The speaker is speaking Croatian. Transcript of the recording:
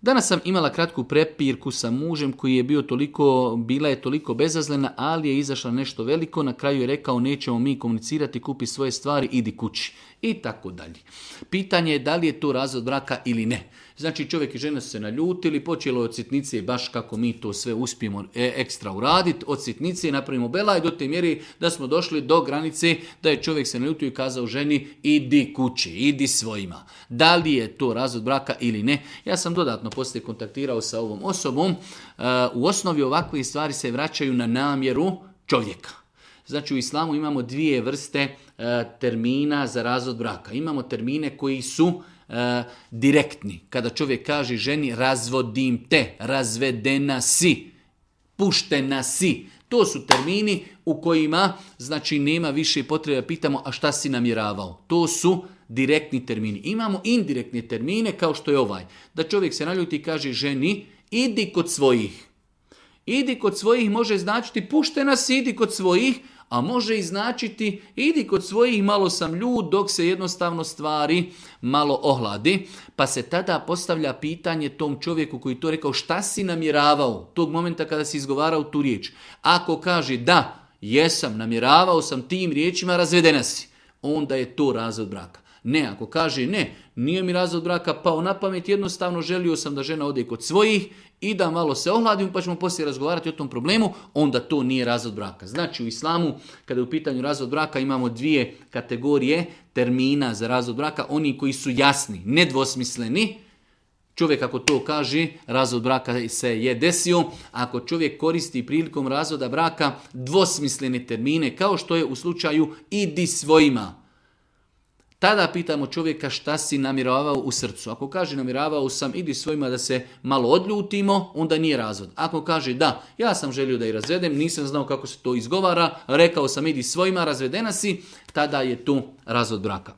Danas sam imala kratku prepirku sa mužem koji je bila je toliko bezazlena, ali je izašla nešto veliko. Na kraju je rekao nećemo mi komunicirati, kupi svoje stvari, idi kući. I tako dalje. Pitanje je da li je to razvod braka ili ne. Znači čovjek i žena su se naljutili, počelo je od sitnice baš kako mi to sve uspijemo ekstra uraditi. Od sitnice napravimo belaj do te mjeri da smo došli do granice da je čovjek se naljutio i kazao ženi idi kući, idi svojima. Da li je to razvod braka ili ne? Ja sam dodatno poslije kontaktirao sa ovom osobom. U osnovi ovakve stvari se vraćaju na namjeru čovjeka. Znači u islamu imamo dvije vrste termina za razvod braka. Imamo termine koji su direktni. Kada čovjek kaže ženi razvodim te, razvedena si, puštena si. To su termini u kojima znači nema više potrebe da pitamo a šta si namjeravao. To su direktni termini. Imamo indirektne termine kao što je ovaj. Da čovjek se naljuti i kaže ženi idi kod svojih. Idi kod svojih može značiti puštena si, idi kod svojih, a može i značiti idi kod svojih, malo sam ljud dok se jednostavno stvari malo ohladi. Pa se tada postavlja pitanje tom čovjeku koji to rekao šta si namjeravao tog momenta kada si izgovarao tu riječ. Ako kaže da, jesam, namjeravao sam tim riječima, razvedena si, onda je to razvod braka. Ne, ako kaže ne, nije mi razvod braka pao na pamet, jednostavno želio sam da žena ode kod svojih i da malo se ohladim pa ćemo poslije razgovarati o tom problemu, onda to nije razvod braka. Znači u islamu kada je u pitanju razvod braka imamo dvije kategorije termina za razvod braka, oni koji su jasni, nedvosmisleni. Čovjek ako to kaže, razvod braka se je desio. Ako čovjek koristi prilikom razvoda braka dvosmislene termine, kao što je u slučaju idi svojima, tada pitamo čovjeka šta si namjeravao u srcu. Ako kaže namjeravao sam idi svojima da se malo odljutimo, onda nije razvod. Ako kaže da, ja sam želio da ih razvedem, nisam znao kako se to izgovara, rekao sam idi svojima, razvedena si, tada je tu razvod braka.